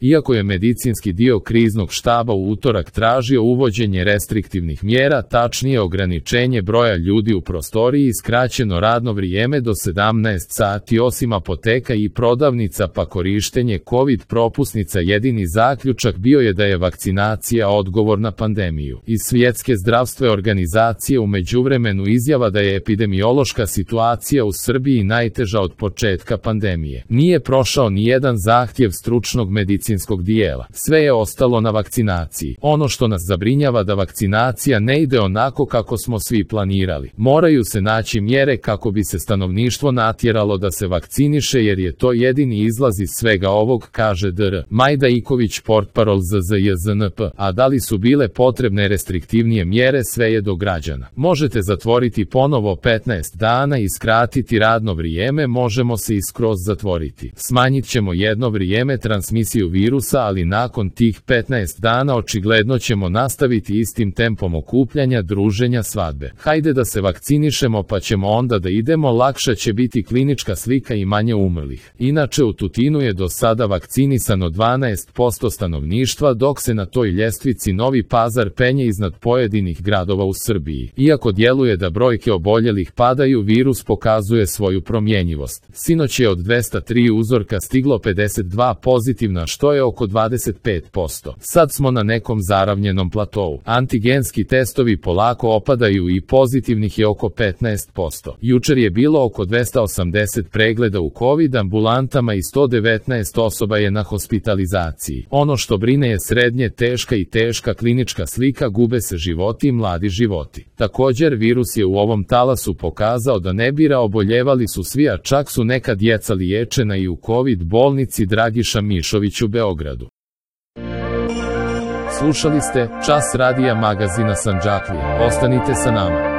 Iako je medicinski dio kriznog štaba u utorak tražio uvođenje restriktivnih mjera, tačnije ograničenje broja ljudi u prostoriji i skraćeno radno vrijeme do 17 sati osim apoteka i prodavnica pa korištenje COVID propusnica, jedini zaključak bio je da je vakcinacija odgovor na pandemiju. Iz Svjetske zdravstvene organizacije u međuvremenu izjava da je epidemiološka situacija u Srbiji najteža od početka pandemije. Nije prošao ni jedan zahtjev stručnog medicinskog dijela. Sve je ostalo na vakcinaciji. Ono što nas zabrinjava da vakcinacija ne ide onako kako smo svi planirali. Moraju se naći mjere kako bi se stanovništvo natjeralo da se vakciniše jer je to jedini izlaz iz svega ovog, kaže dr. Majda Iković, portparol ZZJZNP. A da li su bile potrebne restriktivnije mjere, sve je do građana. Možete zatvoriti ponovo 15 dana i skratiti radno vrijeme, možemo se i skroz zatvoriti. Smanjit ćemo jedno vrijeme transmisiju virusa, ali nakon tih 15 dana očigledno ćemo nastaviti istim tempom okupljanja, druženja, svadbe. Hajde da se vakcinišemo pa ćemo onda da idemo, lakša će biti klinička slika i manje umrlih. Inače u Tutinu je do sada vakcinisano 12% stanovništva, dok se na toj ljestvici Novi Pazar penje iznad pojedinih gradova u Srbiji. Iako djeluje da brojke oboljelih padaju, virus pokazuje svoju promjenjivost. Sinoć je od 203 uzorka stiglo 52 pozitivna, što je oko 25%. Sad smo na nekom zaravnjenom platou. Antigenski testovi polako opadaju i pozitivnih je oko 15%. Jučer je bilo oko 280 pregleda u COVID ambulantama i 119 osoba je na hospitalizaciji. Ono što brine je srednje teška i teška klinička slika, gube se životi i mladi životi. Također virus je u ovom talasu pokazao da ne bira, oboljevali su svi, a čak su neka djeca liječena i u COVID bolnici Dragiša Mišović u Beogradu. Slušali ste Čas radija magazina Sandžaklija. Ostanite sa nama.